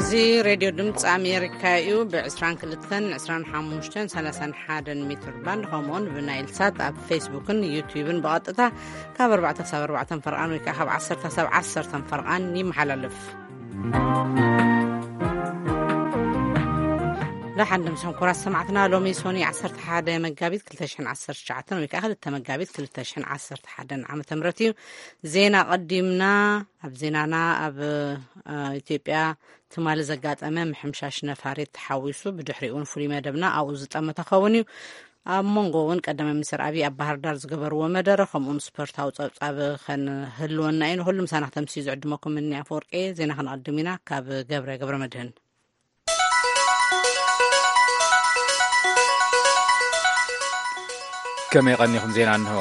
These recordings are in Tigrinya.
እዚ ሬድዮ ድምፂ ኣሜሪካ እዩ። ብ22፣ 25፣ 31 ሜትር ባንድ፣ ከምኡውን ብናይል ሳት ኣብ ፌስቡክን ዩቲዩብን ብቐጥታ ካብ ኣርባዕተ ክሳብ ኣርባዕተ ፈርቓን ወይ ከዓ ካብ ዓሰርተ ክሳብ ዓሰርተ ፈርቓን ይመሓላለፍ። ደሓን ድምሶም ኩራት ሰማዕትና፣ ሎሚ ሶኒ 11 መጋቢት 2019 ወይ ከዓ 2 መጋቢት 2011 ዓመተ ምህረት እዩ። ዜና ቀዲምና። ኣብ ዜናና፣ ኣብ ኢትዮጵያ ትማሊ ዘጋጠመ ምሕምሻሽ ነፋሪት ተሓዊሱ፣ ብድሕሪኡ እውን ፍሉይ መደብና ኣብኡ ዝጠመተ ክኸውን እዩ። ኣብ መንጎ እውን ቀዳማይ ሚኒስትር ኣብይ ኣብ ባህር ዳር ዝገበርዎ መደረ፣ ከምኡውን ስፖርታዊ ጸብጻብ ከንህልወና እዩ። ንኹሉ ምሳና ክተምስዩ ዝዕድመኩም እኒ ኣፈወርቂ። ዜና ክንቐድም ኢና። ካብ ገብረ ገብረ መድህን። ከመይ ቀኒኹም? ዜና እንሆ።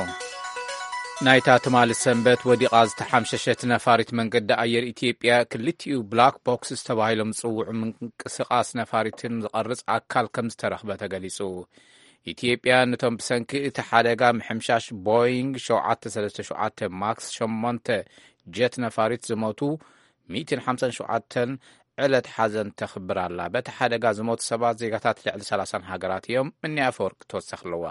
ናይታ ትማሊ ሰንበት ወዲቓ ዝተሓምሸሸት ነፋሪት መንገዲ ኣየር ኢትዮጵያ ክልቲኡ ብላክ ቦክስ ዝተባሂሎም ዝጽውዑ ምንቅስቓስ ነፋሪትን ዝቐርጽ ኣካል ከም ዝተረኽበ ተገሊጹ። ኢትዮጵያ ነቶም ብሰንኪ እቲ ሓደጋ ምሕምሻሽ ቦይንግ 737 ማክስ 8 ጀት ነፋሪት ዝሞቱ 157 ዕለት ሓዘን ተኽብር ኣላ። በቲ ሓደጋ ዝሞቱ ሰባት ዜጋታት ልዕሊ 30 ሃገራት እዮም። እኒ ኣፈወርቂ ተወሳኺ ኣለዋ።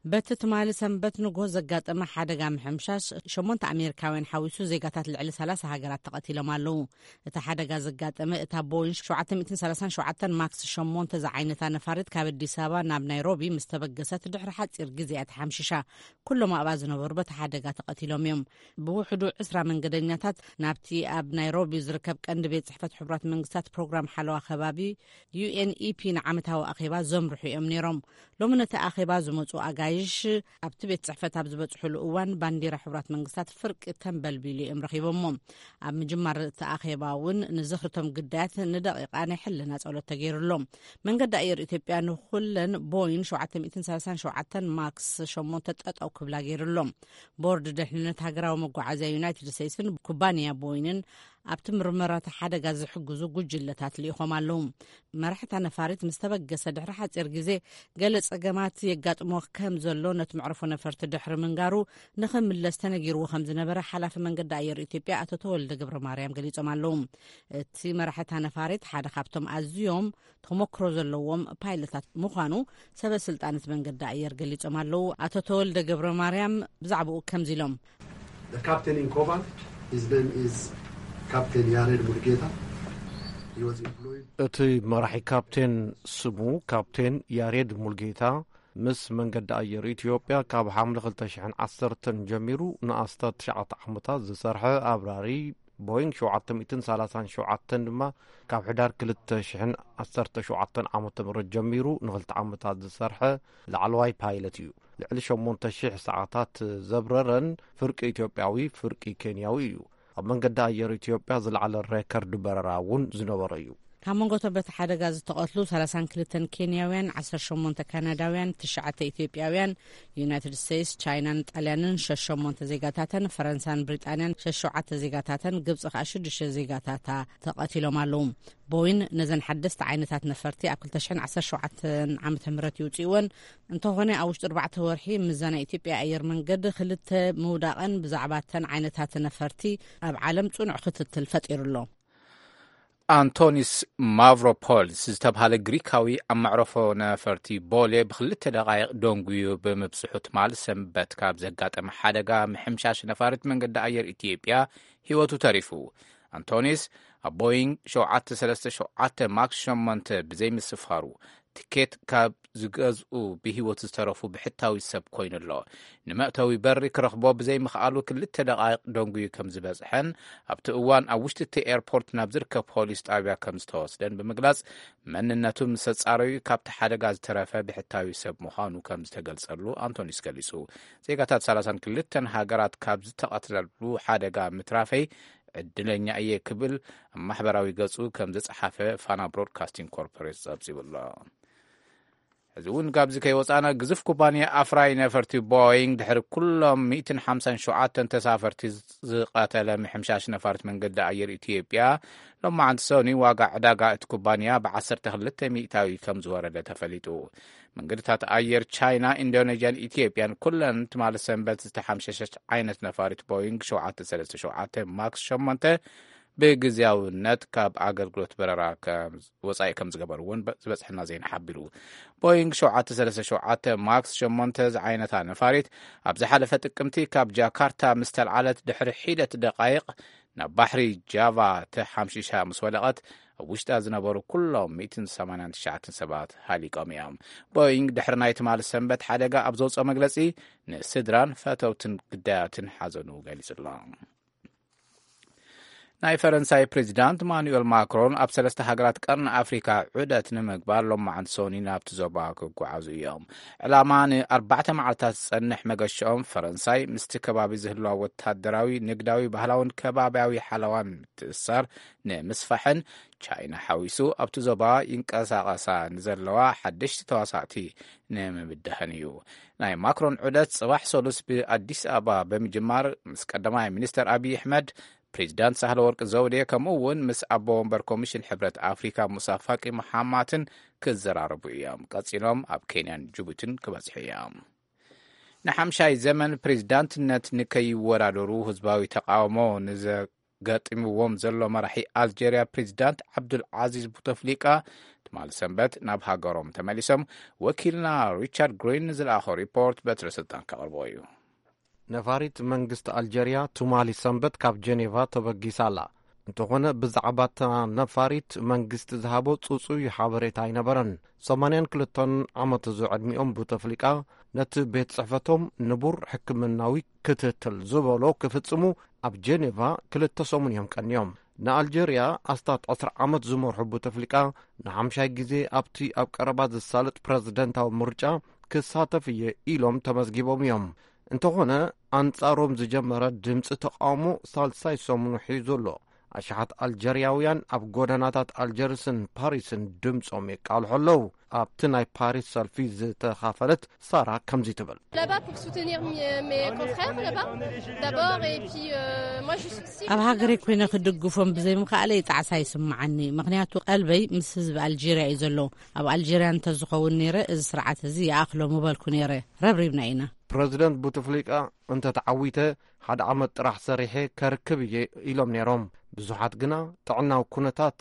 በቲ ትማሊ ሰንበት ንጎ ዘጋጠመ ሓደጋ ምሕምሻሽ ሸሞንተ ኣሜሪካውያን ሓዊሱ ዜጋታት ልዕሊ 30 ሃገራት ተቐቲሎም ኣለዉ። እቲ ሓደጋ ዘጋጠመ እታ ቦይን 737 ማክስ 8 ዝዓይነታ ነፋሪት ካብ ኣዲስ ኣበባ ናብ ናይሮቢ ምስ ተበገሰት ድሕሪ ሓጺር ግዜ እያ ተሓምሺሻ። ኩሎም ኣብኣ ዝነበሩ በቲ ሓደጋ ተቐቲሎም እዮም። ብውሕዱ 20 መንገደኛታት ናብቲ ኣብ ናይሮቢ ዝርከብ ቀንዲ ቤት ጽሕፈት ሕቡራት መንግስታት ፕሮግራም ሓለዋ ከባቢ ዩ ኤን ኢ ፒ ንዓመታዊ ኣኼባ ዘምርሑ እዮም ነይሮም። ሎሚ ነቲ ኣኼባ ዝመጹ ኣጋይሽ ኣብቲ ቤት ጽሕፈት ኣብ ዝበጽሕሉ እዋን ባንዲራ ሕቡራት መንግስታት ፍርቂ ተንበልቢሉ እዮም ረኺቦሞ። ኣብ ምጅማር እቲ ኣኼባ እውን ንዝኽርቶም ግዳያት ንደቂቓ ናይ ሕልና ጸሎት ተገይሩሎም። መንገዲ ኣየር ኢትዮጵያ ንኹለን ቦይን 737 ማክስ 8 ጠጠው ክብላ ገይሩሎም። ቦርድ ድሕንነት ሃገራዊ መጓዓዝያ ዩናይትድ ስቴትስን ኩባንያ ቦይንን ኣብቲ ምርመራታ ሓደጋ ዝሕግዙ ጉጅለታት ልኢኾም ኣለዉ። መራሕታ ነፋሪት ምስ ተበገሰ ድሕሪ ሓጺር ግዜ ገለ ጸገማት የጋጥሞ ከም ዘሎ ነቲ መዕረፎ ነፈርቲ ድሕሪ ምንጋሩ ንኽምለስ ተነጊርዎ ከም ዝነበረ ሓላፊ መንገዲ ኣየር ኢትዮጵያ ኣቶ ተወልደ ገብረ ማርያም ገሊጾም ኣለዉ። እቲ መራሕታ ነፋሪት ሓደ ካብቶም ኣዝዮም ተሞክሮ ዘለዎም ፓይለታት ምዃኑ ሰበ ስልጣን እቲ መንገዲ ኣየር ገሊጾም ኣለዉ። ኣቶ ተወልደ ገብረ ማርያም ብዛዕባኡ ከምዚ ኢሎም። The captain in command, his name is Captain Yared Mulgeta. He was employed እቲ መራሒ ካፕቴን ስሙ ካፕቴን ያሬድ ሙልጌታ፣ ምስ መንገዲ ኣየር ኢትዮጵያ ካብ ሓምለ 2010 ጀሚሩ ንኣስታት ትሽዓተ ዓመታት ዝሰርሐ ኣብራሪ ቦይንግ 737 ድማ ካብ ሕዳር 2017 ዓመተ ምህረት ጀሚሩ ንኽልተ ዓመታት ዝሰርሐ ላዕለዋይ ፓይለት እዩ። ልዕሊ 8,000 ሰዓታት ዘብረረን ፍርቂ ኢትዮጵያዊ ፍርቂ ኬንያዊ እዩ። ኣብ መንገዲ ኣየር ኢትዮጵያ ዝለዓለ ሬከርድ በረራ እውን ዝነበሮ እዩ። ካብ መንጎ እቶም በቲ ሓደጋ ዝተቐትሉ 32 ኬንያውያን፣ 18 ካናዳውያን፣ ትሽዓተ ኢትዮጵያውያን፣ ዩናይትድ ስቴትስ፣ ቻይናን ጣልያንን ሸሸሞንተ ዜጋታተን፣ ፈረንሳን ብሪጣንያን ሸሸዓተ ዜጋታተን፣ ግብፂ ከዓ ሽዱሽተ ዜጋታታ ተቐቲሎም ኣለዉ። ቦይን ነዘን ሓደስቲ ዓይነታት ነፈርቲ ኣብ 2017 ዓመተ ምህረት ይውፅእወን እንተኾነ፣ ኣብ ውሽጢ ኣርባዕተ ወርሒ ምስዛ ናይ ኢትዮጵያ ኣየር መንገድ ክልተ ምውዳቐን ብዛዕባ እተን ዓይነታት ነፈርቲ ኣብ ዓለም ፅኑዕ ክትትል ፈጢሩ ኣሎ። ኣንቶኒስ ማቭሮፖልስ ዝተብሃለ ግሪካዊ ኣብ መዕረፎ ነፈርቲ ቦሌ ብክልተ ደቓይቕ ደንጉዩ ብምብጽሑ ትማል ሰንበት ካብ ዘጋጠመ ሓደጋ ምሕምሻሽ ነፋሪት መንገዲ ኣየር ኢትዮጵያ ህይወቱ ተሪፉ። ኣንቶኒስ ኣብ ቦይንግ 737 ማክስ 8 ብዘይምስፋሩ ትኬት ካብ ዝገዝኡ ብህይወት ዝተረፉ ብሕታዊ ሰብ ኮይኑ ኣሎ። ንመእተዊ በሪ ክረኽቦ ብዘይምኽኣሉ ክልተ ደቓይቕ ደንጉዩ ከም ዝበጽሐን ኣብቲ እዋን ኣብ ውሽጢ እቲ ኤርፖርት ናብ ዝርከብ ፖሊስ ጣብያ ከም ዝተወስደን ብምግላጽ፣ መንነቱ ምስ ኣጻረዩ ካብቲ ሓደጋ ዝተረፈ ብሕታዊ ሰብ ምዃኑ ከም ዝተገልጸሉ ኣንቶኒስ ገሊጹ። ዜጋታት 32 ሃገራት ካብ ዝተቐትለሉ ሓደጋ ምትራፈይ ዕድለኛ እየ ክብል ኣብ ማሕበራዊ ገጹ ከም ዝጸሓፈ ፋና ብሮድካስቲንግ ኮርፖሬት ጸብጺቡ ኣሎ። እዚ እውን ካብዚ ከይወጻና፣ ግዙፍ ኩባንያ ኣፍራይ ነፈርቲ ቦይንግ ድሕሪ ኩሎም 157 ተሳፈርቲ ዝቐተለ ምሕምሻሽ ነፋሪት መንገዲ ኣየር ኢትዮጵያ፣ ሎማዓንቲ ሰኑይ ዋጋ ዕዳጋ እቲ ኩባንያ ብ12 ሚእታዊ ከም ዝወረደ ተፈሊጡ። መንገድታት ኣየር ቻይና፣ ኢንዶኔዥያን ኢትዮጵያን ኩለን ትማሊ ሰንበት ዝተሓምሸሸት ዓይነት ነፋሪት ቦይንግ 737 ማክስ 8 ብግዜያውነት ካብ ኣገልግሎት በረራ ከም-፣ ወጻኢ ከም ዝገበሩ እውን በ-፣ ዝበጽሐና ዜና ሓቢሩ። ቦይንግ ሸውዓተ ሰለስተ ሸውዓተ ማክስ ሸሞንተ ዝዓይነታ ነፋሪት ኣብ ዝሓለፈ ጥቅምቲ ካብ ጃካርታ ምስ ተልዓለት ድሕሪ ሒደት ደቃይቕ ናብ ባሕሪ ጃቫ ተሓምሺሻ ምስ ወደቐት፣ ኣብ ውሽጣ ዝነበሩ ኩሎም ሚእትን ሰማንያን ትሽዓተን ሰባት ሃሊቆም እዮም። ቦይንግ ድሕሪ ናይ ትማሊ ሰንበት ሓደጋ ኣብ ዘውፅኦ መግለፂ፣ ንስድራን ፈተውትን ግዳያትን ሓዘኑ ገሊጹ ኣሎ። ናይ ፈረንሳይ ፕሬዚዳንት ማኑኤል ማክሮን ኣብ ሰለስተ ሃገራት ቀርኒ ኣፍሪካ ዑደት ንምግባር ሎማዓንቲ ሰኒ ናብቲ ዞባ ክጓዓዙ እዮም። ዕላማ ንኣርባዕተ መዓልታት ዝጸንሕ መገሽኦም ፈረንሳይ ምስቲ ከባቢ ዝህልዋ ወታደራዊ፣ ንግዳዊ፣ ባህላውን ከባቢያዊ ሓለዋን ምትእስሳር ንምስፋሕን ቻይና ሓዊሱ ኣብቲ ዞባ ይንቀሳቐሳ ንዘለዋ ሓደሽቲ ተዋሳእቲ ንምብዳህን እዩ። ናይ ማክሮን ዑደት ጽባሕ ሰሉስ ብኣዲስ ኣበባ ብምጅማር ምስ ቀዳማይ ሚኒስተር ኣብይ ኣሕመድ፣ ፕሬዚዳንት ሳህለወርቅ ዘውዴ ከምኡ እውን ምስ ኣቦ ወንበር ኮሚሽን ሕብረት ኣፍሪካ ሙሳ ፋቂ መሓማትን ክዘራረቡ እዮም። ቀጺሎም ኣብ ኬንያን ጅቡትን ክበጽሑ እዮም። ንሓምሻይ ዘመን ፕሬዚዳንትነት ንከይወዳደሩ ህዝባዊ ተቃውሞ ንዘገጥምዎም ዘሎ መራሒ ኣልጀርያ ፕሬዚዳንት ዓብዱል ዓዚዝ ቡተፍሊቃ ትማሊ ሰንበት ናብ ሃገሮም ተመሊሶም። ወኪልና ሪቻርድ ግሪን ንዝለኣኾ ሪፖርት በትረ ስልጣን ከቕርቦ እዩ። ነፋሪት መንግስቲ ኣልጀርያ ትማሊ ሰንበት ካብ ጀኔቫ ተበጊሳ ኣላ። እንተኾነ ብዛዕባ እታ ነፋሪት መንግስቲ ዝሃቦ ጽጹይ ሓበሬታ ኣይነበረን። ሰማንያን ክልተን ዓመት ዝዕድሚኦም ቡተፍሊቃ ነቲ ቤት ጽሕፈቶም ንቡር ሕክምናዊ ክትትል ዝበሎ ክፍጽሙ ኣብ ጀኔቫ ክልተ ሰሙን እዮም ቀንዮም። ንኣልጀርያ ኣስታት ዕስራ ዓመት ዝመርሑ ቡተፍሊቃ ንሓምሻይ ግዜ ኣብቲ ኣብ ቀረባ ዝሳለጥ ፕረዚደንታዊ ምርጫ ክሳተፍ እየ ኢሎም ተመዝጊቦም እዮም። እንተኾነ ኣንጻሮም ዝጀመረ ድምፂ ተቃውሞ ሳልሳይ ሰሙኑ ሒዙ ኣሎ። ኣሽሓት ኣልጀርያውያን ኣብ ጎደናታት ኣልጀርስን ፓሪስን ድምፆም የቃልሑ ኣለዉ። ኣብቲ ናይ ፓሪስ ሰልፊ ዝተኻፈለት ሳራ ከምዚ ትብል። Là-bas pour soutenir mi-, mes confrères là-bas, d'abord, et puis, euh, moi je suis aussi ኣብ ሃገረይ ኮይነ ክድግፎም ብዘይምኽኣለይ ጣዕሳ ይስምዓኒ። ምኽንያቱ ቀልበይ ምስ ህዝቢ ኣልጀርያ እዩ ዘሎ። ኣብ ኣልጀርያ እንተዝኸውን ነይረ፣ እዚ ስርዓት እዚ ይኣኽሎ ምበልኩ ነይረ። ረብሪብና ኢና። ፕረዚደንት ቡትፍሊቃ እንተተዓዊተ፣ ሓደ ዓመት ጥራሕ ሰሪሐ ከርክብ እየ ኢሎም ነይሮም። ብዙሓት ግና ጥዕናዊ ኩነታት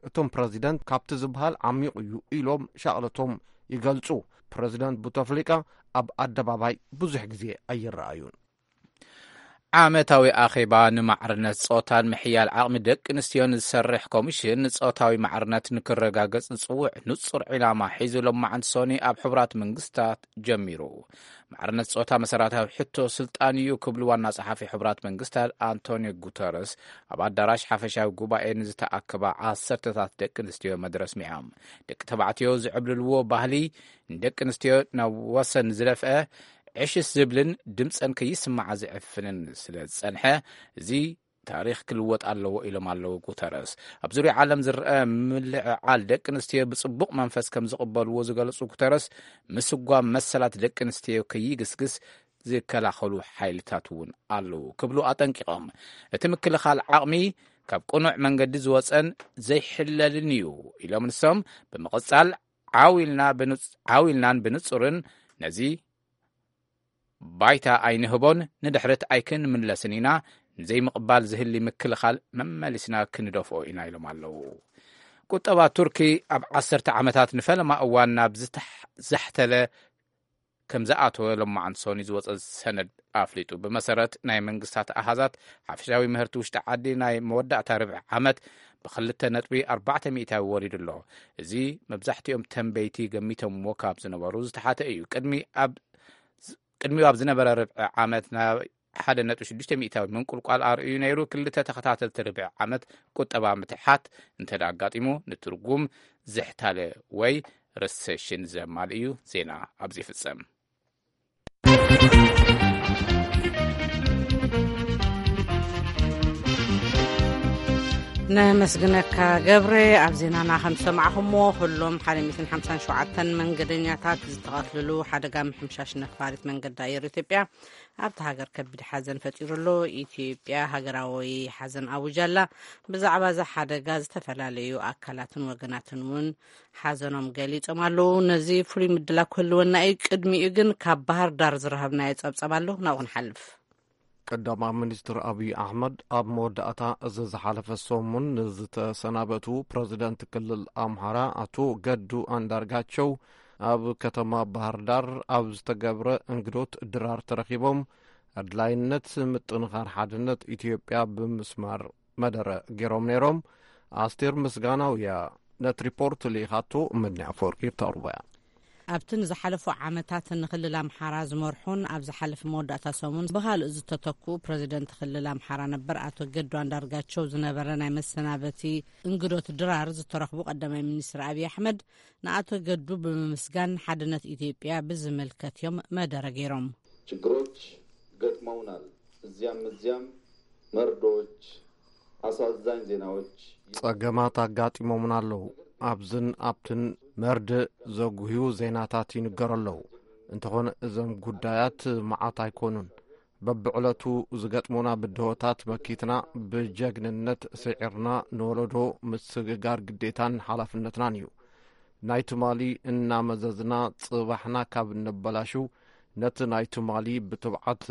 እቶም ፕረዚደንት ካብቲ ዝበሃል ዓሚቕ እዩ ኢሎም ሻቕለቶም ይገልጹ። ፕረዚደንት ቡተፍሊቃ ኣብ ኣደባባይ ብዙሕ ግዜ ኣይረኣዩን። ዓመታዊ ኣኼባ ንማዕርነት ጾታን ምሕያል ዓቕሚ ደቂ ኣንስትዮን ዝሰርሕ ኮሚሽን ንጾታዊ ማዕርነት ንክረጋገጽ ዝጽውዕ ንጹር ዒላማ ሒዙ ሎማዓንቲ ሰኒ ኣብ ሕቡራት መንግስታት ጀሚሩ። ማዕርነት ጾታ መሰረታዊ ሕቶ ስልጣን እዩ ክብሉ ዋና ጸሓፊ ሕቡራት መንግስታት ኣንቶኒዮ ጉተረስ ኣብ ኣዳራሽ ሓፈሻዊ ጉባኤ ንዝተኣከባ ዓሰርተታት ደቂ ኣንስትዮ መደረ ኣስሚዖም። ደቂ ተባዕትዮ ዝዕብልልዎ ባህሊ ንደቂ ኣንስትዮ ናብ ወሰን ዝደፍአ፣ ዕሽሽ ዝብልን ድምፀን ከይስማዓ ዝዕፍንን ስለ ዝጸንሐ፣ እዚ ታሪኽ ክልወጥ ኣለዎ ኢሎም ኣለዉ ጉተረስ። ኣብ ዙርያ ዓለም ዝረአ ምልዕዓል ደቂ ኣንስትዮ ብጽቡቕ መንፈስ ከም ዝቕበልዎ ዝገለጹ ጉተረስ፣ ምስጓም መሰላት ደቂ ኣንስትዮ ከይግስግስ ዝከላኸሉ ሓይልታት እውን ኣለዉ ክብሉ ኣጠንቂቖም። እቲ ምክልኻል ዓቕሚ ካብ ቅኑዕ መንገዲ ዝወጸን ዘይሕለልን እዩ ኢሎም ንሶም ብምቕጻል፣ ዓው ኢልና ብንጽ-፣ ዓው ኢልናን ብንጹርን ነዚ ባይታ ኣይንህቦን፣ ንድሕሪት ኣይክንምለስን ኢና። ንዘይምቕባል ዝህሊ ምክልኻል መመሊስና ክንደፍኦ ኢና ኢሎም ኣለዉ። ቁጠባ ቱርኪ ኣብ ዓሰርተ ዓመታት ንፈለማ እዋን ናብ ዝተሕ-፣ ዘሕተለ ከም ዝኣተወ ሎማዓንቲ ሰኒ ዝወጸ ሰነድ ኣፍሊጡ። ብመሰረት ናይ መንግስታት ኣሃዛት፣ ሓፈሻዊ ምህርቲ ውሽጢ ዓዲ ናይ መወዳእታ ርብዒ ዓመት ብክልተ ነጥቢ ኣርባዕተ ሚእታዊ ወሪዱ ኣሎ። እዚ መብዛሕትኦም ተንበይቲ ገሚቶምዎ ካብ ዝነበሩ ዝተሓተ እዩ። ቅድሚ ኣብ ቅድሚኡ ኣብ ዝነበረ ርብዒ ዓመት ናብ ሓደ ነጥቢ ሽዱሽተ ሚእታዊ ምንቁልቋል ኣርእዩ ነይሩ። ክልተ ተኸታተልቲ ርብዒ ዓመት ቁጠባ ምትሓት እንተ ደኣ ኣጋጢሙ፣ ንትርጉም ዝሕታለ ወይ ረሰሽን ዘማልእ እዩ። ዜና ኣብዚ ይፍጸም። ነመስግነካ ገብረ። ኣብ ዜናና ከም ዝሰማዕኹምዎ፣ ኩሎም ሓደ ሚእትን ሓምሳን ሸውዓተን መንገደኛታት ዝተቐትልሉ ሓደጋ ምሕምሻሽ ነፋሪት መንገዲ ኣየር ኢትዮጵያ ኣብቲ ሃገር ከቢድ ሓዘን ፈጢሩ ኣሎ። ኢትዮጵያ ሃገራዊ ሓዘን ኣውጃ ኣላ። ብዛዕባ እዚ ሓደጋ ዝተፈላለዩ ኣካላትን ወገናትን እውን ሓዘኖም ገሊጾም ኣለዉ። ነዚ ፍሉይ ምድላው ክህልወና እዩ። ቅድሚኡ ግን ካብ ባህር ዳር ዝረኸብናዮ ጸብጻብ ኣሎ፣ ናብኡ ክንሓልፍ። ቀዳማይ ሚኒስትር ኣብይ ኣሕመድ ኣብ መወዳእታ እዚ ዝሓለፈ ሰሙን ንዝተሰናበቱ ፕረዚደንት ክልል ኣምሓራ ኣቶ ገዱ ኣንዳርጋቸው ኣብ ከተማ ባህር ዳር ኣብ ዝተገብረ እንግዶት ድራር ተረኺቦም ኣድላይነት ምጥንኻር ሓድነት ኢትዮጵያ ብምስማር መደረ ገይሮም ነይሮም። ኣስቴር ምስጋናው እያ ነቲ ሪፖርት ልኢኻቶ። ምኒ ኣፈወርቂ ተቕርቦ እያ። ኣብቲ ንዝሓለፉ ዓመታት ንክልል ኣምሓራ ዝመርሑን ኣብ ዝሓለፈ መወዳእታ ሰሙን ብኻልእ ዝተተክኡ ፕረዚደንት ክልል ኣምሓራ ነበር ኣቶ ገዱ ኣንዳርጋቸው ዝነበረ ናይ መሰናበቲ እንግዶት ድራር ዝተረኽቡ ቀዳማይ ሚኒስትር ኣብይ ኣሕመድ ንኣቶ ገዱ ብምምስጋን ሓድነት ኢትዮጵያ ብዝምልከት እዮም መደረ ገይሮም። ችግሮች ገጥመውናል። እዚያም እዚያም መርዶዎች፣ አሳዛኝ ዜናዎች። ጸገማት ኣጋጢሞምና ኣለዉ። ኣብዝን ኣብትን መርድእ ዘጉህዩ ዜናታት ይንገሩ ኣለዉ። እንተኾነ እዞም ጉዳያት መዓት ኣይኮኑን። በብዕለቱ ዝገጥሙና ብድሆታት መኪትና ብጀግንነት ስዒርና ንወለዶ ምስግጋር ግዴታን ሓላፍነትናን እዩ። ናይ ትማሊ እናመዘዝና ጽባሕና ካብ እነበላሽው ነቲ ናይ ትማሊ ብትብዓት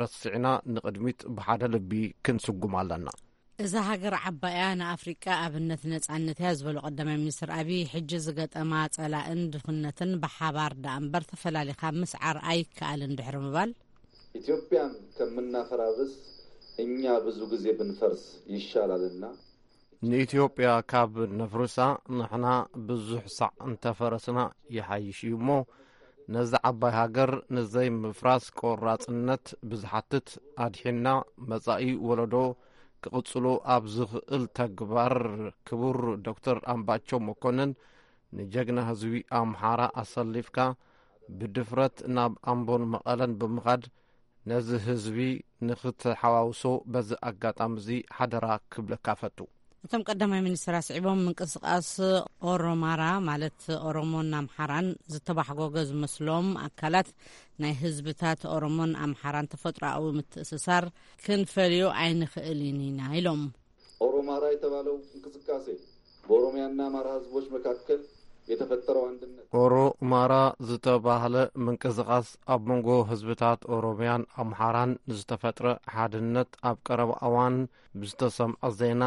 ረሲዕና ንቕድሚት ብሓደ ልቢ ክንስጉም ኣለና። እዛ ሃገር ዓባይ እያ፣ ንኣፍሪቃ ኣብነት ነጻነት እያ ዝበሉ ቀዳማይ ሚኒስትር ኣብይ፣ ሕጂ ዝገጠማ ጸላእን ድኽነትን ብሓባር ደኣ እምበር ተፈላሊኻ ምስዓር ኣይከኣልን ድሕሪ ምባል፣ ኢትዮጵያን ከምናፈራርስ እኛ ብዙ ጊዜ ብንፈርስ ይሻላልና። ንኢትዮጵያ ካብ ነፍርሳ ንሕና ብዙሕ ሳዕ እንተፈረስና ይሓይሽ እዩ እሞ፣ ነዛ ዓባይ ሃገር ንዘይምፍራስ ቆራጽነት ብዝሓትት ኣድሒንና መጻኢ ወለዶ ክቕጽሎ ኣብ ዝኽእል ተግባር ክቡር ዶክተር ኣምባቸው መኮንን ንጀግና ህዝቢ ኣምሓራ ኣሰሊፍካ ብድፍረት ናብ ኣምቦን መቐለን ብምኻድ ነዚ ህዝቢ ንኽትሓዋውሶ በዚ ኣጋጣሚ እዚ ሓደራ ክብለካ ፈቱ። እቶም ቀዳማይ ሚኒስትር ኣስዒቦም ምንቅስቃስ ኦሮማራ ማለት ኦሮሞን ኣምሓራን ዝተባሕጎገ ዝመስሎም ኣካላት ናይ ህዝብታት ኦሮሞን ኣምሓራን ተፈጥሮኣዊ ምትእስሳር ክንፈልዮ ኣይንኽእልን ኢና ኢሎም። ኦሮማራ የተባለው እንቅስቃሴ በኦሮሚያና አማራ ህዝቦች መካከል የተፈጠረው አንድነት። ኦሮማራ ዝተባህለ ምንቅስቃስ ኣብ መንጎ ህዝብታት ኦሮሚያን ኣምሓራን ዝተፈጥረ ሓድነት ኣብ ቀረባ እዋን ብዝተሰምዐ ዜና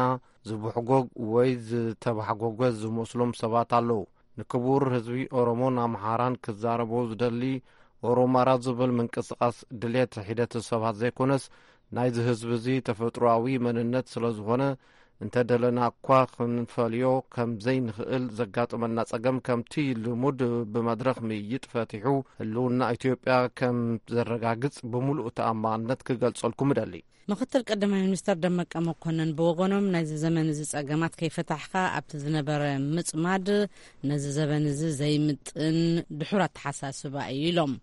ዝብሕጎግ ወይ ዝተባሕጎገ ዝመስሎም ሰባት ኣለዉ። ንክቡር ህዝቢ ኦሮሞን ኣምሓራን ክዛረቦ ዝደሊ ኦሮማራ ዝብል ምንቅስቃስ ድሌት ሒደት ሰባት ዘይኮነስ ናይዚ ህዝቢ እዚ ተፈጥሮኣዊ መንነት ስለ ዝኾነ እንተ ደለና እኳ ክንፈልዮ ከም ዘይንኽእል ዘጋጥመና ጸገም ከምቲ ልሙድ ብመድረኽ ምይይጥ ፈቲሑ ህልውና ኢትዮጵያ ከም ዘረጋግጽ ብምሉእ ተኣማንነት ክገልጸልኩም እደሊ። ምኽትል ቀዳማይ ሚኒስተር ደመቀ መኮነን ብወገኖም ናይዚ ዘመን እዚ ጸገማት ከይፈታሕካ ኣብቲ ዝነበረ ምጽማድ ነዚ ዘበን እዚ ዘይምጥን ድሑር ኣተሓሳስባ እዩ ኢሎም።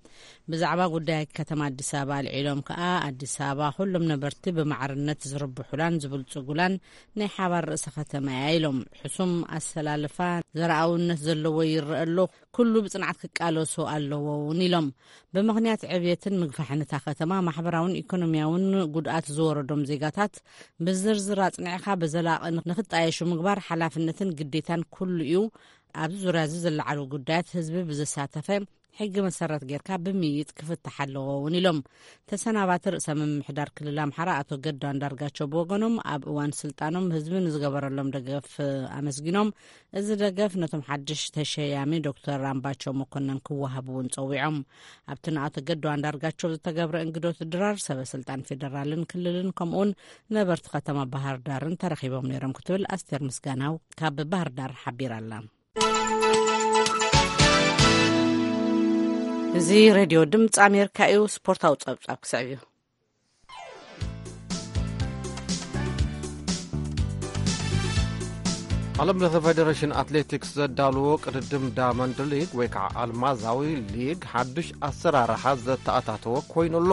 ብዛዕባ ጉዳይ ከተማ ኣዲስ ኣበባ ኣልዒሎም ከኣ ኣዲስ ኣበባ ኩሎም ነበርቲ ብማዕርነት ዝርብሑላን ዝብልጽጉላን ናይ ሓባር ርእሰ ከተማ እያ ኢሎም። ሕሱም ኣሰላልፋ ዘረኣውነት ዘለዎ ይረአ ኣሎ፣ ኩሉ ብጽንዓት ክቃለሶ ኣለዎ እውን ኢሎም። ብምኽንያት ዕብየትን ምግፋሕን እታ ከተማ ማሕበራውን ኢኮኖሚያውን ጉድኣት ዝወረዶም ዜጋታት ብዝርዝር ኣጽኒዕካ ብዘላቒ ንክጣየሹ ምግባር ሓላፍነትን ግዴታን ኩሉ እዩ። ኣብዚ ዙርያ እዚ ዝለዓሉ ጉዳያት ህዝቢ ብዘሳተፈ ሕጊ መሰረት ጌርካ ብምይይጥ ክፍታሕ ኣለዎ እውን ኢሎም። ተሰናባቲ ርእሰ ምምሕዳር ክልል ኣምሓራ ኣቶ ገዱ ኣንዳርጋቸው ብወገኖም ኣብ እዋን ስልጣኖም ህዝቢ ንዝገበረሎም ደገፍ ኣመስጊኖም፣ እዚ ደገፍ ነቶም ሓድሽ ተሸያሚ ዶክተር ኣምባቸው መኮነን ክወሃብ እውን ጸዊዖም። ኣብቲ ንኣቶ ገዱ ኣንዳርጋቸው ዝተገብረ እንግዶት ድራር ሰበ ስልጣን ፌደራልን ክልልን ከምኡውን ነበርቲ ከተማ ባህር ዳርን ተረኺቦም ነይሮም ክትብል ኣስቴር ምስጋናው ካብ ባህር ዳር ሓቢራ ኣላ። እዚ ሬድዮ ድምፂ ኣሜሪካ እዩ። ስፖርታዊ ፀብፃብ ክስዕብ እዩ። ዓለም ለኸ ፌደሬሽን ኣትሌቲክስ ዘዳልዎ ቅድድም ዳመንድ ሊግ ወይ ከዓ ኣልማዛዊ ሊግ ሓዱሽ ኣሰራርሓ ዘተኣታተወ ኮይኑ ኣሎ።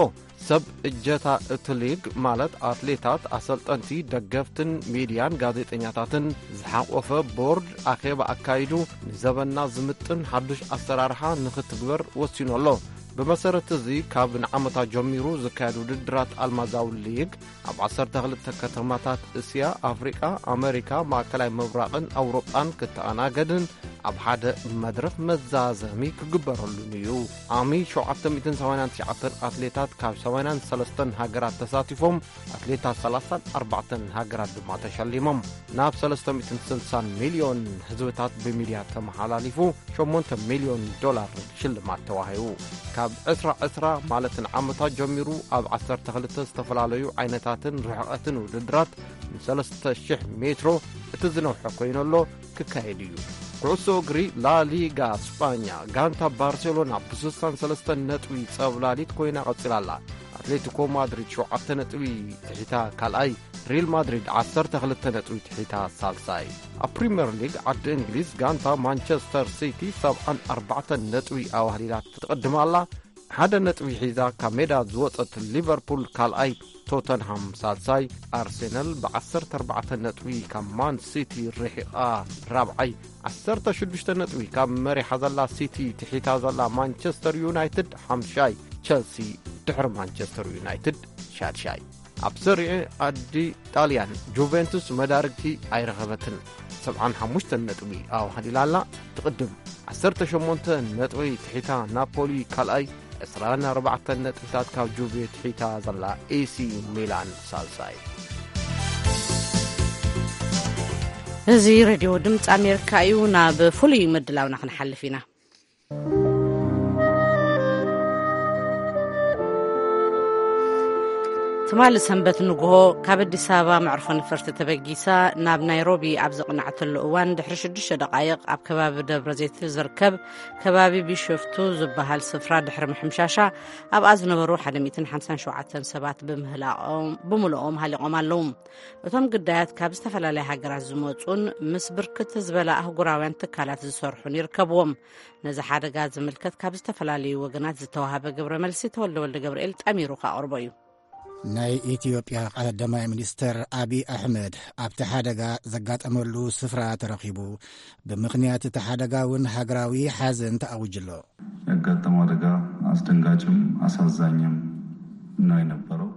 ሰብ እጀታ እቲ ሊግ ማለት ኣትሌታት፣ ኣሰልጠንቲ፣ ደገፍትን ሚድያን ጋዜጠኛታትን ዝሓቆፈ ቦርድ ኣኼባ ኣካይዱ ንዘበና ዝምጥን ሓዱሽ ኣሰራርሓ ንኽትግበር ወሲኑ ኣሎ። ብመሰረት እዚ ካብ ንዓመታ ጀሚሩ ዝካየድ ውድድራት ኣልማዛዊ ሊግ ኣብ ዓሰርተ ክልተ ከተማታት እስያ፣ ኣፍሪቃ፣ ኣመሪካ፣ ማእከላይ ምብራቕን ኣውሮጳን ክተኣናገድን ኣብ ሓደ መድረኽ መዛዘሚ ክግበረሉን እዩ። ዓሚ ሸውዓተ ሚእትን ሰማንያን ትሽዓተን ኣትሌታት ካብ ሰማንያን ሰለስተን ሃገራት ተሳቲፎም፣ ኣትሌታት ሰላሳን ኣርባዕተን ሃገራት ድማ ተሸሊሞም። ናብ ሰለስተ ሚእትን ስልሳን ሚልዮን ህዝብታት ብሚድያ ተመሓላሊፉ፣ ሸሞንተ ሚልዮን ዶላር ሽልማት ተዋሂቡ። ካብ ዕስራ ዕስራ ማለት ንዓመታት ጀሚሩ ኣብ ዓሰርተ ክልተ ዝተፈላለዩ ዓይነታትን ርሕቐትን ውድድራት ንሰለስተ ሽሕ ሜትሮ እቲ ዝነውሐ ኮይኑ ኣሎ። ክካየድ እዩ። ኩዕሶ እግሪ ላሊጋ ስጳኛ፣ ጋንታ ባርሴሎና ብስሳን ሰለስተን ነጥቢ ጸብላሊት ኮይና ቀጺላ ኣላ። ኣትሌቲኮ ማድሪድ ሸውዓተ ነጥቢ ትሒታ ካልኣይ፣ ሪል ማድሪድ ዓሰርተ ክልተ ነጥቢ ትሒታ ሳልሳይ። ኣብ ፕሪምየር ሊግ ዓዲ እንግሊዝ ጋንታ ማንቸስተር ሲቲ ሰብዓን ኣርባዕተን ነጥቢ ኣዋህሊላ ትቕድም ኣላ። ሓደ ነጥቢ ሒዛ ካብ ሜዳ ዝወጸት ሊቨርፑል ካልኣይ፣ ቶተንሃም ሳልሳይ፣ ኣርሴናል ብዓሰርተ ኣርባዕተ ነጥቢ ካብ ማን ሲቲ ርሒቓ ራብዓይ፣ ዓሰርተ ሽዱሽተ ነጥቢ ካብ መሪሓ ዘላ ሲቲ ትሒታ ዘላ ማንቸስተር ዩናይትድ ሓምሻይ፣ ቸልሲ ድሕሪ ማንቸስተር ዩናይትድ ሻድሻይ። ኣብ ሰሪኤ ኣዲ ጣልያን ጁቬንቱስ መዳርግቲ ኣይረኸበትን። ሰብዓን ሓሙሽተን ነጥቢ ኣዋህሊላ ኣላ። ትቕድም ዓሰርተ ሸሞንተ ነጥቢ ትሒታ ናፖሊ ካልኣይ፣ ዕስራን ኣርባዕተን ነጥብታት ካብ ጁቬ ትሒታ ዘላ ኤሲ ሚላን ሳልሳይ። እዚ ሬድዮ ድምፂ ኣሜሪካ እዩ። ናብ ፍሉይ ምድላውና ክንሓልፍ ኢና። ትማሊ ሰንበት ንግሆ ካብ ኣዲስ ኣበባ መዕርፎ ነፈርቲ ተበጊሳ ናብ ናይሮቢ ኣብ ዘቕናዕተሉ እዋን፣ ድሕሪ ሽዱሽተ ደቓይቕ ኣብ ከባቢ ደብረ ዘይት ዝርከብ ከባቢ ቢሾፍቱ ዝበሃል ስፍራ ድሕሪ ምሕምሻሻ፣ ኣብኣ ዝነበሩ ሓደ ሚእትን ሓምሳን ሸውዓተን ሰባት ብምህላቖም፣ ብምልኦም ሃሊቖም ኣለዉ። እቶም ግዳያት ካብ ዝተፈላለያ ሃገራት ዝመጹን ምስ ብርክት ዝበላ ኣህጉራውያን ትካላት ዝሰርሑን ይርከብዎም። ነዚ ሓደጋ ዝምልከት ካብ ዝተፈላለዩ ወገናት ዝተዋሃበ ግብረ መልሲ ተወልደ ወልደ ገብርኤል ጠሚሩ ከቕርቦ እዩ። ናይ ኢትዮጵያ ቀዳማይ ሚኒስተር ኣቢይ ኣሕመድ ኣብቲ ሓደጋ ዘጋጠመሉ ስፍራ ተረኺቡ፣ ብምኽንያት እቲ ሓደጋ እውን ሃገራዊ ሓዘን ተኣዊጁ ኣሎ። ያጋጠመው አደጋ አስደንጋጭም አሳዛኝም ነው የነበረው።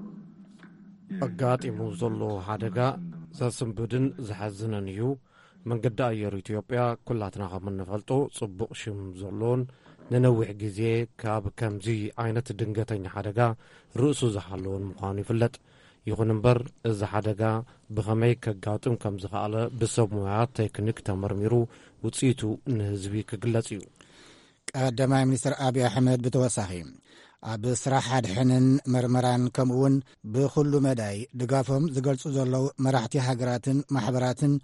ኣጋጢሙ ዘሎ ሓደጋ ዘስንብድን ዘሐዝንን እዩ። መንገዲ ኣየር ኢትዮጵያ ኩላትና ከም እንፈልጦ ጽቡቕ ሽም ዘሎን ንነዊሕ ግዜ ካብ ከምዚ ዓይነት ድንገተኛ ሓደጋ ርእሱ ዝሓለወን ምዃኑ ይፍለጥ። ይኹን እምበር፣ እዚ ሓደጋ ብኸመይ ከጋጥም ከም ዝኸኣለ ብሰብ ሞያ ቴክኒክ ተመርሚሩ ውጽኢቱ ንህዝቢ ክግለጽ እዩ። ቀዳማይ ሚኒስትር ኣቢይ ኣሕመድ ብተወሳኺ፣ ኣብ ስራሕ ኣድሕንን መርመራን ከምኡውን ብኹሉ መዳይ ድጋፎም ዝገልጹ ዘለዉ መራሕቲ ሃገራትን ማሕበራትን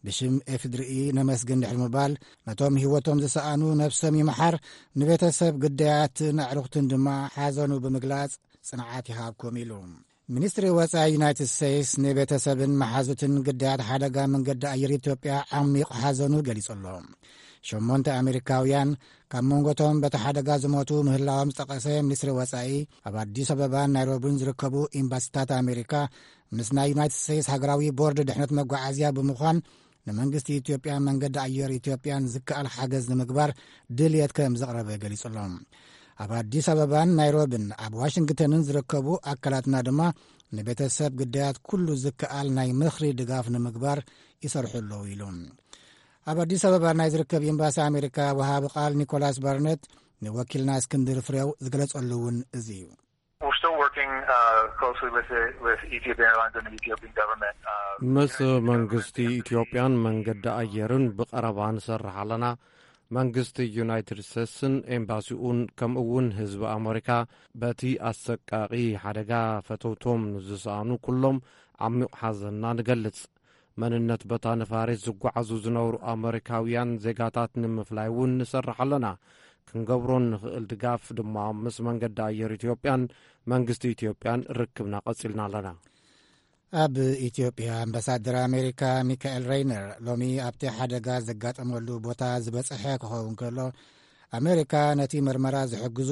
ብሽም ኤፍድርኢ ነመስግን ድሕሪ ምባል፣ ነቶም ህይወቶም ዝሰኣኑ ነብሶም ይምሓር፣ ንቤተሰብ ግዳያትን ኣዕሩኽትን ድማ ሓዘኑ ብምግላጽ ጽንዓት ይሃብኩም ኢሉ። ሚኒስትሪ ወጻኢ ዩናይትድ ስቴትስ ንቤተሰብን መሓዙትን ግዳያት ሓደጋ መንገዲ ኣየር ኢትዮጵያ ዓሚቕ ሓዘኑ ገሊጹ ኣሎ። ሸሞንተ ኣሜሪካውያን ካብ መንጎቶም በቲ ሓደጋ ዝሞቱ ምህላዎም ዝጠቐሰ ሚኒስትሪ ወጻኢ፣ ኣብ ኣዲስ ኣበባን ናይሮቢን ዝርከቡ ኤምባሲታት ኣሜሪካ ምስ ናይ ዩናይትድ ስቴትስ ሃገራዊ ቦርድ ድሕነት መጓዓዝያ ብምዃን ንመንግስቲ ኢትዮጵያ መንገዲ ኣየር ኢትዮጵያን ዝከኣል ሓገዝ ንምግባር ድልየት ከም ዘቕረበ ገሊጹ ኣሎ። ኣብ ኣዲስ ኣበባን ናይሮቢን ኣብ ዋሽንግተንን ዝርከቡ ኣካላትና ድማ ንቤተሰብ ግዳያት ኩሉ ዝከኣል ናይ ምኽሪ ድጋፍ ንምግባር ይሰርሑ ኣለዉ ኢሉ። ኣብ ኣዲስ ኣበባ ናይ ዝርከብ ኤምባሲ ኣሜሪካ ወሃቢ ቃል ኒኮላስ ባርነት ንወኪልና እስክንድር ፍሬው ዝገለጸሉ እውን እዚ እዩ። We're still working, uh, closely with the, with Ethiopian Airlines and the Ethiopian government. Uh, ምስ መንግስቲ ኢትዮጵያን መንገዲ ኣየርን ብቐረባ ንሰርሕ ኣለና። መንግስቲ ዩናይትድ ስቴትስን ኤምባሲኡን ከምኡ እውን ህዝቢ ኣመሪካ በቲ ኣሰቃቒ ሓደጋ ፈተውቶም ንዝሰኣኑ ኩሎም ዓሚቕ ሓዘንና ንገልጽ። መንነት በታ ነፋሪት ዝጓዓዙ ዝነበሩ ኣመሪካውያን ዜጋታት ንምፍላይ እውን ንሰርሕ ኣለና። ክንገብሮ ንኽእል ድጋፍ ድማ ምስ መንገዲ ኣየር ኢትዮጵያን መንግስቲ ኢትዮጵያን ርክብና ቀጺልና ኣለና። ኣብ ኢትዮጵያ ኣምባሳደር ኣሜሪካ ሚካኤል ሬይነር ሎሚ ኣብቲ ሓደጋ ዘጋጠመሉ ቦታ ዝበጽሐ ክኸውን ከሎ፣ ኣሜሪካ ነቲ መርመራ ዝሕግዙ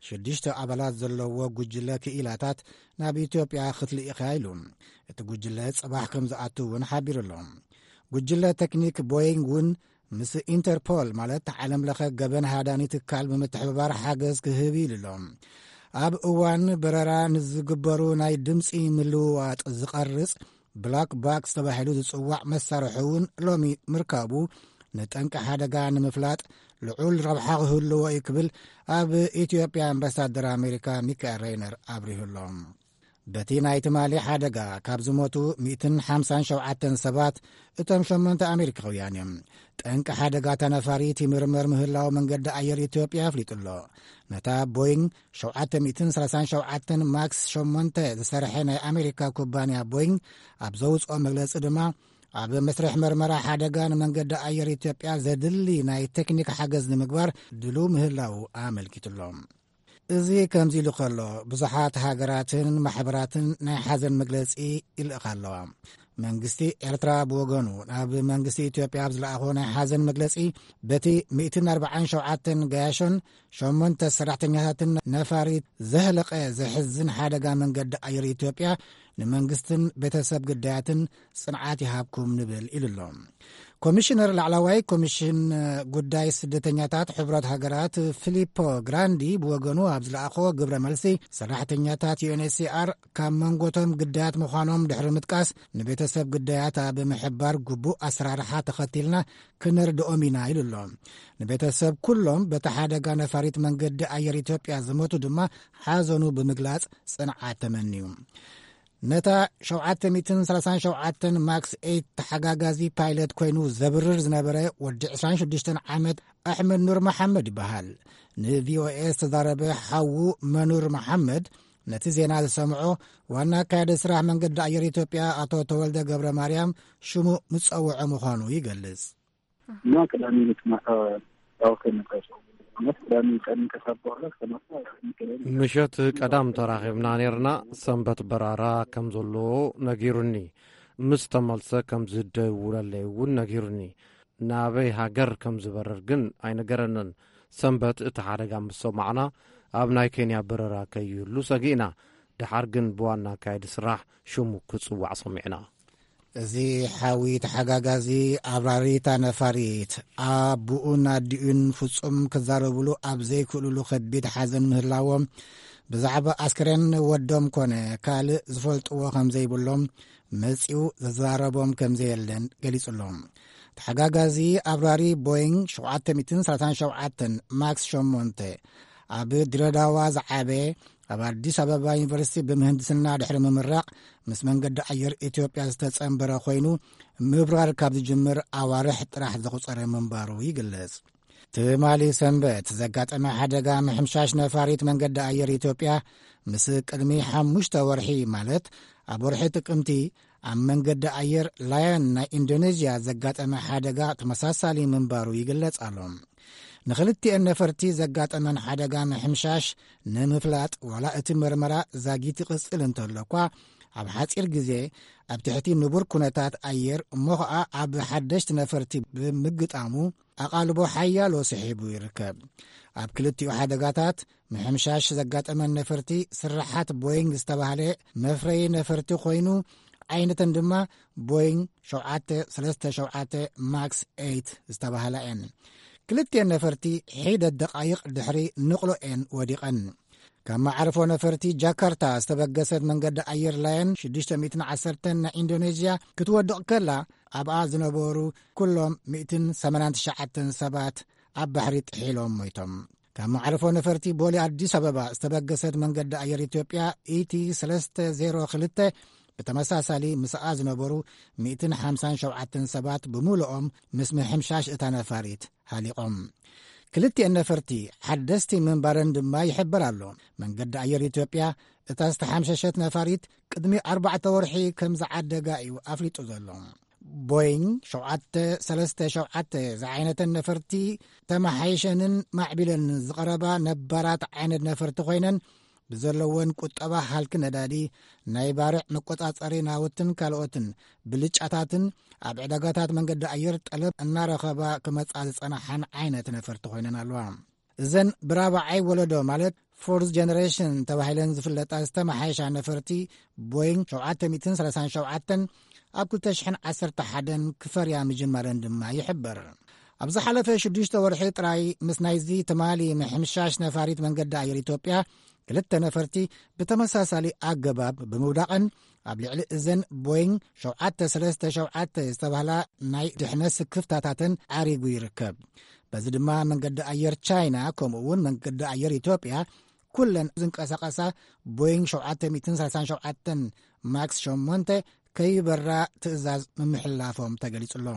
ሽዱሽተ ኣባላት ዘለዎ ጉጅለ ክኢላታት ናብ ኢትዮጵያ ክትልኢኽ እያ ኢሉ። እቲ ጉጅለ ጽባሕ ከም ዝኣቱ እውን ሓቢሩ ኣሎ። ጉጅለ ቴክኒክ ቦይንግ እውን ምስ ኢንተርፖል፣ ማለት ዓለም ለኸ ገበን ሃዳኒ ትካል ብምትሕብባር ሓገዝ ክህብ ኢሉ ኣሎ። ኣብ እዋን በረራ ንዝግበሩ ናይ ድምፂ ምልውዋጥ ዝቐርጽ ብላክ ባክስ ተባሂሉ ዝጽዋዕ መሳርሒ እውን ሎሚ ምርካቡ ንጠንቂ ሓደጋ ንምፍላጥ ልዑል ረብሓ ክህልዎ እዩ ክብል ኣብ ኢትዮጵያ ኣምባሳደር ኣሜሪካ ሚካኤል ሬይነር ኣብሪሁ ኣሎ። በቲ ናይ ትማሊ ሓደጋ ካብ ዝሞቱ ሚእትን ሓምሳን ሸውዓተን ሰባት፣ እቶም ሸሞንተ ኣሜሪካውያን እዮም። ጠንቂ ሓደጋ ተነፋሪት ይምርመር ምህላው መንገዲ ኣየር ኢትዮጵያ ኣፍሊጡ ኣሎ። ነታ ቦይንግ ሸውዓተ ሚእትን ሰላሳን ሸውዓተን ማክስ ሸሞንተ ዝሰርሐ ናይ ኣሜሪካ ኩባንያ ቦይንግ ኣብ ዘውፅኦ መግለፂ ድማ፣ ኣብ መስርሕ መርመራ ሓደጋ ንመንገዲ ኣየር ኢትዮጵያ ዘድሊ ናይ ቴክኒክ ሓገዝ ንምግባር ድሉው ምህላው ኣመልኪቱ ኣሎ። እዚ ከምዚ ኢሉ ከሎ፣ ብዙሓት ሃገራትን ማሕበራትን ናይ ሓዘን መግለጺ ይልእኻ ኣለዋ። መንግስቲ ኤርትራ ብወገኑ፣ ናብ መንግስቲ ኢትዮጵያ ኣብ ዝለኣኾ ናይ ሓዘን መግለጺ፣ በቲ ሚእትን ኣርባዓን ሸውዓተን ገያሾን ሸሞንተ ሰራሕተኛታትን ነፋሪት ዘህለቐ ዘሕዝን ሓደጋ መንገዲ ኣየር ኢትዮጵያ፣ ንመንግስትን ቤተሰብ ግዳያትን ጽንዓት ይሃብኩም ንብል ኢሉ ኣሎ። ኮሚሽነር፣ ላዕለዋይ ኮሚሽን ጉዳይ ስደተኛታት ሕብረት ሃገራት ፊሊፖ ግራንዲ ብወገኑ ኣብ ዝለኣኾ ግብረ መልሲ፣ ሰራሕተኛታት ዩ ኤን ኤች ሲ ኣር ካብ መንጎቶም ግዳያት ምዃኖም ድሕሪ ምጥቃስ፣ ንቤተሰብ ግዳያት ኣብ ምሕባር ግቡእ ኣሰራርሓ ተኸቲልና ክነርድኦም ኢና ኢሉ ኣሎ። ንቤተሰብ ኩሎም በቲ ሓደጋ ነፋሪት መንገዲ ኣየር ኢትዮጵያ ዝሞቱ ድማ ሓዘኑ ብምግላጽ ጽንዓት ተመንዩ። ነታ ሸውዓተ ሚእትን ሰላሳን ሸውዓተን ማክስ ኤይት ተሓጋጋዚ ፓይለት ኮይኑ ዘብርር ዝነበረ ወዲ ዕስራን ሽዱሽተን ዓመት ኣሕመድ ኑር መሓመድ ይበሃል። ንቪኦኤ ዝተዛረበ ሓዉ መኑር መሓመድ፣ ነቲ ዜና ዝሰምዖ ዋና ኣካያዲ ስራሕ መንገዲ ኣየር ኢትዮጵያ ኣቶ ተወልደ ገብረ ማርያም ሽሙ ምጸውዖ ምዃኑ ይገልጽ። እና ቅዳሜ ዕለት ማታ ያው ከነቀሱ ማለት ቅዳሜ ቀን ከሳብ በኋላ ከማታ። ምሸት ቀዳም ተራኺብና ነርና። ሰንበት በራራ ከም ዘለዎ ነጊሩኒ። ምስ ተመልሰ ከም ዝደውለለይ እውን ነጊሩኒ። ናበይ ሃገር ከም ዝበርር ግን ኣይነገረንን። ሰንበት እቲ ሓደጋ ምስ ሰማዕና፣ ኣብ ናይ ኬንያ በረራ ከይህሉ ሰጊእና። ደሓር ግን ብዋና ኣካየዲ ስራሕ ሽሙ ክጽዋዕ ሰሚዕና። እዚ ሓዊ ተሓጋጋዚ ኣብራሪታ ነፋሪት ኣቡኡን ኣዲኡን ፍጹም ክዛረብሉ ኣብ ዘይክእሉሉ ከቢድ ሓዘን ምህላዎም፣ ብዛዕባ ኣስከሬን ወዶም ኮነ ካልእ ዝፈልጥዎ ከም ዘይብሎም፣ መጺኡ ዘዘራረቦም ከም ዘየለን ገሊጹሎም። ተሓጋጋዚ ኣብራሪ ቦይንግ ሸውዓተ ሚእትን ሰላሳን ሸውዓተን ማክስ ሸሞንተ፣ ኣብ ድሬዳዋ ዝዓበየ፣ ኣብ ኣዲስ ኣበባ ዩኒቨርሲቲ ብምህንድስና ድሕሪ ምምራቕ፣ ምስ መንገዲ ኣየር ኢትዮጵያ ዝተጸንበረ ኮይኑ፣ ምብራር ካብ ዝጅምር ኣዋርሕ ጥራሕ ዘቑጸረ ምንባሩ ይግለጽ። ትማሊ ሰንበት ዘጋጠመ ሓደጋ ምሕምሻሽ ነፋሪት መንገዲ ኣየር ኢትዮጵያ፣ ምስ ቅድሚ ሓሙሽተ ወርሒ፣ ማለት ኣብ ወርሒ ጥቅምቲ፣ ኣብ መንገዲ ኣየር ላየን ናይ ኢንዶኔዥያ ዘጋጠመ ሓደጋ ተመሳሳሊ ምንባሩ ይግለጽ ኣሎ። ንኽልቲኤን ነፈርቲ ዘጋጠመን ሓደጋ ምሕምሻሽ ንምፍላጥ፣ ዋላ እቲ መርመራ ዛጊት ይቕጽል እንተሎ እኳ፣ ኣብ ሓጺር ግዜ ኣብ ትሕቲ ንቡር ኩነታት ኣየር፣ እሞ ኸኣ ኣብ ሓደሽቲ ነፈርቲ ብምግጣሙ፣ ኣቓልቦ ሓያሎ ስሒቡ ይርከብ። ኣብ ክልቲኡ ሓደጋታት፣ ምሕምሻሽ ዘጋጠመን ነፈርቲ ስርሓት ቦይንግ ዝተባህለ መፍረዪ ነፈርቲ ኮይኑ፣ ዓይነተን ድማ ቦይንግ ሸውዓተ ሰለስተ ሸውዓተ ማክስ ኤይት ዝተባህላ እየን። ክልቲኤን ነፈርቲ ሒደት ደቓይቕ ድሕሪ ንቕሎ እየን ወዲቐን። ካብ መዓርፎ ነፈርቲ ጃካርታ ዝተበገሰት መንገዲ ኣየር ላየን ሽዱሽተ ሚእትን ዓሰርተን ናይ ኢንዶኔዥያ ክትወድቕ ከላ፣ ኣብኣ ዝነበሩ ኩሎም ሚእትን ሰማንያን ትሽዓተን ሰባት ኣብ ባሕሪ ጥሒሎም ሞይቶም። ካብ መዓርፎ ነፈርቲ ቦሌ ኣዲስ ኣበባ ዝተበገሰት መንገዲ ኣየር ኢትዮጵያ ኢቲ ሰለስተ ዜሮ ክልተ፣ ብተመሳሳሊ ምስኣ ዝነበሩ ሚእትን ሓምሳን ሸውዓተን ሰባት ብምሉኦም ምስ ምሕምሻሽ እታ ነፋሪት ሃሊቖም። ክልቲኤን ነፈርቲ ሓደስቲ ምንባረን ድማ ይሕበር ኣሎ። መንገዲ ኣየር ኢትዮጵያ፣ እታ ዝተሓምሸሸት ነፋሪት ቅድሚ ኣርባዕተ ወርሒ ከም ዝዓደጋ እዩ ኣፍሊጡ ዘሎ። ቦይንግ ሸውዓተ ሰለስተ ሸውዓተ ዝዓይነተን ነፈርቲ ተመሓይሸንን ማዕቢለንን ዝቐረባ ነባራት ዓይነት ነፈርቲ ኮይነን፣ ብዘለወን ቁጠባ ሃልኪ ነዳዲ፣ ናይ ባርዕ መቆጻጸሪ ናውትን ካልኦትን ብልጫታትን፣ ኣብ ዕዳጋታት መንገዲ ኣየር ጠለብ እናረኸባ ክመጻ ዝጸናሓን ዓይነት ነፈርቲ ኮይነን ኣለዋ። እዘን ብራብዓይ ወለዶ፣ ማለት ፎርዝ ጀነሬሽን ተባሂለን ዝፍለጣ ዝተመሓየሻ ነፈርቲ፣ ቦይንግ ሸውዓተ ሚእትን ሰላሳን ሸውዓተን ኣብ ክልተ ሽሕን ዓሰርተ ሓደን ክፈርያ ምጅማረን ድማ ይሕበር። ኣብ ዝሓለፈ ሽዱሽተ ወርሒ ጥራይ፣ ምስ ናይዚ ትማሊ ምሕምሻሽ ነፋሪት መንገዲ ኣየር ኢትዮጵያ ክልተ ነፈርቲ ብተመሳሳሊ ኣገባብ ብምውዳቐን ኣብ ልዕሊ እዘን ቦይንግ ሸውዓተ ሰለስተ ሸውዓተ ዝተባህላ ናይ ድሕነት ስክፍታታተን ዓሪጉ ይርከብ። በዚ ድማ መንገዲ ኣየር ቻይና ከምኡ እውን መንገዲ ኣየር ኢትዮጵያ ኩለን ዝንቀሳቐሳ ቦይንግ ሸውዓተ ሚእትን ሰላሳን ሸውዓተን ማክስ ሸሞንተ ከይበራ ትእዛዝ ምምሕልላፎም ተገሊጹ ኣሎ።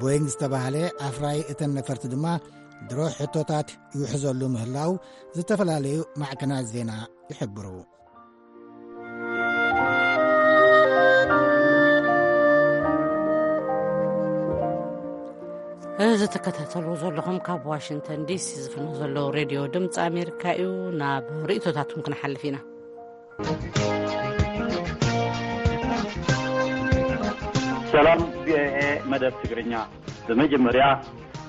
ቦይንግ ዝተባህለ ኣፍራይ እተን ነፈርቲ ድማ ድሮ ሕቶታት ይውሕዘሉ ምህላው ዝተፈላለዩ ማዕከናት ዜና ይሕብሩ። እዚ ትከታተልዎ ዘለኹም ካብ ዋሽንግተን ዲሲ ዝፍኖ ዘሎ ሬድዮ ድምፂ ኣሜሪካ እዩ። ናብ ርእይቶታትኩም ክንሓልፍ ኢና። ሰላም ቪኦኤ መደብ ትግርኛ። ብመጀመርያ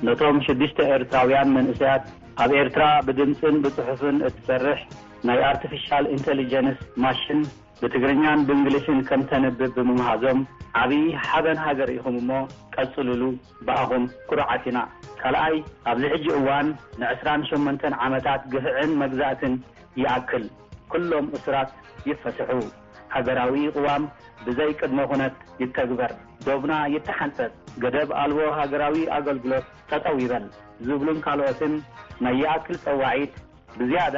ነቶም ሽዱሽተ ኤርትራውያን መንእሰያት ኣብ ኤርትራ ብድምፅን ብፅሑፍን እትሰርሕ ናይ ኣርቲፊሻል ኢንተሊጀንስ ማሽን ብትግርኛን ብእንግሊሽን ከም ተንብብ ብምምሃዞም ዓብዪ ሓበን ሃገር ኢኹም እሞ ቀፅሉሉ፣ ብኣኹም ኩሩዓት ኢና። ካልኣይ፣ ኣብዚ ሕጂ እዋን ንዕስራን ሸሞንተን ዓመታት ግፍዕን መግዛእትን ይኣክል፣ ኩሎም እሱራት ይፈስሑ፣ ሃገራዊ ቅዋም ብዘይ ቅድመ ኩነት ይተግበር፣ ዶብና ይተሓንጸጽ፣ ገደብ ኣልቦ ሃገራዊ ኣገልግሎት ጠጠው ይበል ዝብሉን ካልኦትን ናይ ይኣክል ጸዋዒት ብዝያዳ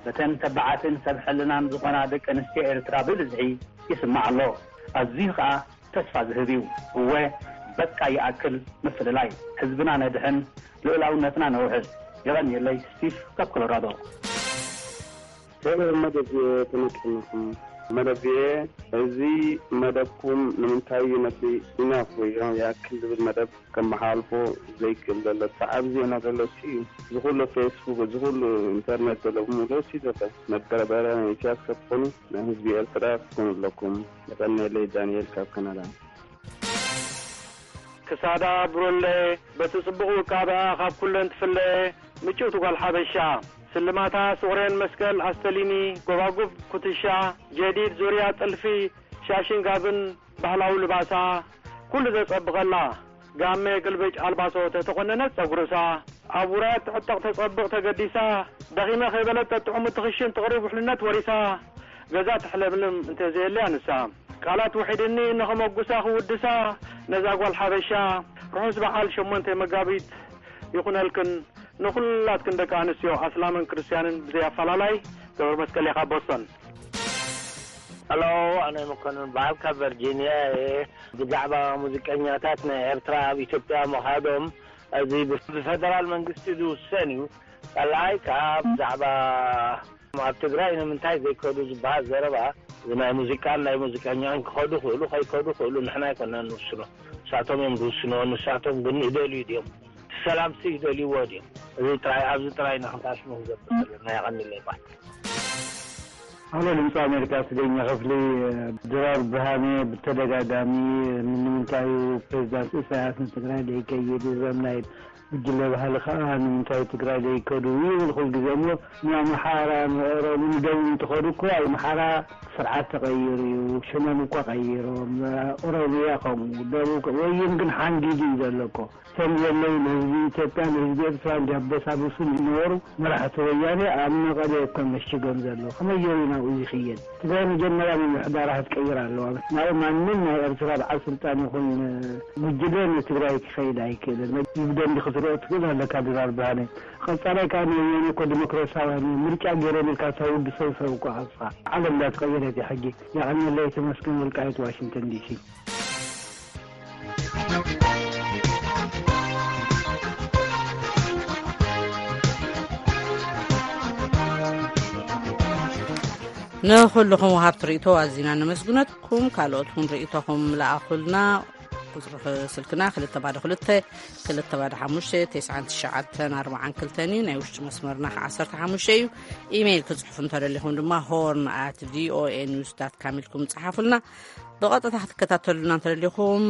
በተን ተባዓትን ሰብ ሕልናን ዝኾና ደቂ ኣንስትዮ ኤርትራ ብብዝሒ ይስማዕ ኣሎ። ኣዝዩ ኸኣ ተስፋ ዝህብ እዩ። እወ በቃ ይኣክል ምፍልላይ። ህዝብና ነድሕን፣ ልኡላውነትና ነውሕስ። የቐንየለይ። ስቲፍ ካብ ኮሎራዶ። ሰላም መደብ ተመቀናኹም። መደብ እዚ መደብኩም ንምንታይ እዩ ነቲ ኢናፍ ወይ ይኣክል ዝብል መደብ ከመሓላልፎ ዘይክእል ዘሎ? እቲ ዓቢ ዜና ዘሎ እሱ እዩ። እዚ ኩሉ ፌስቡክ፣ እዚ ኩሉ ኢንተርኔት ዘሎ ብምሉኡ እሱ ዘሎ። መበረበረ ናይ ኢሳያስ ከትኾኑ፣ ናይ ህዝቢ ኤርትራ ክትኮኑ ኣለኩም። የቐንየለይ። ዳንኤል ካብ ካናዳ። ክሳዳ ብሩሌ በቲ ጽቡቕ ውቃበኣ ካብ ኩለን ትፍለ፣ ምጭውቲ ጓል ሓበሻ። ስልማታ ስቑሬን መስቀል ኣስተሊኒ፣ ጎባጉብ ኩትሻ፣ ጀዲድ ዙርያ ጥልፊ፣ ሻሽን ጋብን ባህላዊ ልባሳ፣ ኩሉ ዘጸብቐላ። ጋመ ግልብጭ ኣልባሶ ተተቖነነት ጸጉርሳ፣ ኣብ ውራያት ትዕጠቕ ተጸብቕ ተገዲሳ፣ ደኺመ ከይበለት ተጥዕሙ ትኽሽን ትቕርብ ውሕልነት ወሪሳ፣ ገዛ ትሕለምልም እንተዘየልያ ንሳ። ቃላት ውሒድኒ ንኸመጉሳ ክውድሳ ነዛ ጓል ሓበሻ፣ ርሑስ በዓል ሸሞንተ መጋቢት ይኹነልክን፣ ንኹላትክን ደቂ ኣንስትዮ ኣስላምን ክርስትያንን ብዘይ ኣፈላላይ። ገብረ መስቀል እየ ካብ ቦስቶን። ሄሎ፣ ኣነ መኮንን በዓል ካብ ቨርጂንያ እየ። ብዛዕባ ሙዚቀኛታት ናይ ኤርትራ ኣብ ኢትዮጵያ ምኻዶም፣ እዚ ብፍ-፣ ብፈደራል መንግስቲ ዝውሰን እዩ። ካልኣይ ከኣ ብዛዕባ ኣብ ትግራይ ንምንታይ ዘይከዱ ዝበሃል ዘረባ፣ እዚ ናይ ሙዚቃን ናይ ሙዚቀኛን ክኸዱ ክእሉ ከይከዱ ክእሉ ንሕና ኣይኮናን ንውስኖ። ንሳቶም እዮም ዝውስንዎ። ንሳቶም ግን ይደልዩ ድዮም? ሰላምሲ ይደልይዎ ድዮም? እዚ ጥራይ፣ ኣብዚ ጥራይ ኢና ክንሓስቡ ክንገብር ዘለና። የቐንየለይ በዓል። ኣሎ ድምፂ ኣሜሪካ ትግርኛ ክፍሊ። ድራር ብርሃነ ብተደጋጋሚ ንምንታይ ፕሬዚዳንት ኢሳያስ ንትግራይ ዘይከይድ፣ እዞም ናይ ጉጅለ ባህሊ ከዓ ንምንታይ ትግራይ ዘይከዱ ይብል ኩሉ ግዜ እሞ፣ ንኣምሓራ ንኦሮሞ ንደቡብ እንትኸዱ እኮ ኣብ ኣምሓራ ስርዓት ተቐይሩ እዩ፣ ሽሞም እኮ ቀይሮም። ኦሮሚያ ከምኡ፣ ደቡብ ከ-፣ ወይን ግን ሓንጊዱ እዩ ዘሎ እኮ። ከም ዘለዉ ንህዝቢ ኢትዮጵያን ንህዝቢ ኤርትራን ዲያበሳብሱ ዝነበሩ መራሕቲ ወያኔ ኣብ መቐለ እኮ መሽጎም ዘለዉ። ከመይ ገይሩ ናብኡ ይኽየድ? ትግራይ መጀመርያ ምምሕዳራ ክትቀይር ኣለዋ። ናብኡ ማንም ናይ ኤርትራ በዓል ስልጣን ይኹን ጉጅለ ንትግራይ ክኸይድ ኣይክእልን። ብደንቢ ክትሪኦ ትኽእል ኣለካ ድራር ብርሃነ። ቀጻላይ ከዓ ንወያኔ እኮ ዲሞክራሲያውያን እዮም፣ ምርጫ ገይሮም ኢልካ ተውድሶም ሰብ እኮ ኣጥፋ። ዓለም እንዳተቐየረት እያ ሕጂ። የቐንየለይ። ተመስገን ወልቃይት፣ ዋሽንግተን ዲሲ። ንኹልኹም ወሃብቲ ርእይቶ ኣዚና ነመስግነኩም። ካልኦት እውን ርእይቶኹም ለኣኹልና። ቁጽሪ ስልክና ክልተ ባዶ ክልተ፣ ክልተ ባዶ ሓሙሽተ፣ ተስዓን ትሽዓተን ኣርባዓን ክልተን እዩ። ናይ ውሽጢ መስመርና ከ ዓሰርተ ሓሙሽተ እዩ። ኢሜይል ክጽሕፉ እንተደሊኹም ድማ ሆርን ኣት ቪኦኤ ኒውስ ዳት ካም ኢልኩም ጸሓፉልና። ብቐጥታ ክትከታተሉና እንተደሊኹም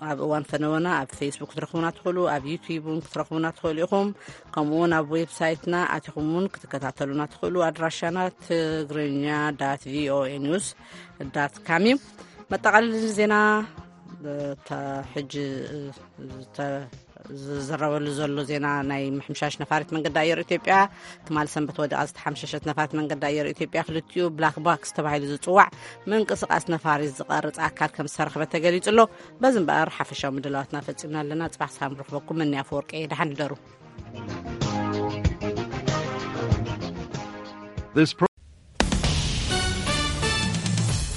ኣብ እዋን ፈነወና ኣብ ፌስቡክ ክትረኽቡና ትኽእሉ፣ ኣብ ዩቱብ እውን ክትረኽቡና ትኽእሉ ኢኹም። ከምኡ እውን ኣብ ዌብሳይትና ኣቲኹም እውን ክትከታተሉና ትኽእሉ። ኣድራሻና ትግርኛ ዳት ቪኦኤ ኒውስ ዳት ካም እዩ። መጠቓለሊ ዜና፣ እታ ሕጂ፣ እተ-፣ ዝዝረበሉ ዘሎ ዜና ናይ ምሕምሻሽ ነፋሪት መንገዲ ኣየር ኢትዮጵያ፣ ትማል ሰንበት ወዲቓ ዝተሓምሸሸት ነፋሪት መንገዲ ኣየር ኢትዮጵያ ክልቲኡ ብላክ ባክስ ተባሂሉ ዝጽዋዕ ምንቅስቓስ ነፋሪት ዝቐርጽ ኣካል ከም ዝተረኽበ ተገሊጹ ኣሎ። በዚ እምበኣር ሓፈሻዊ ምድላዋትና ፈጺምና ኣለና። ጽባሕ ሰላም ርኽበኩም። መኒ ኣፈወርቂ፣ ደሓን ንደሩ። This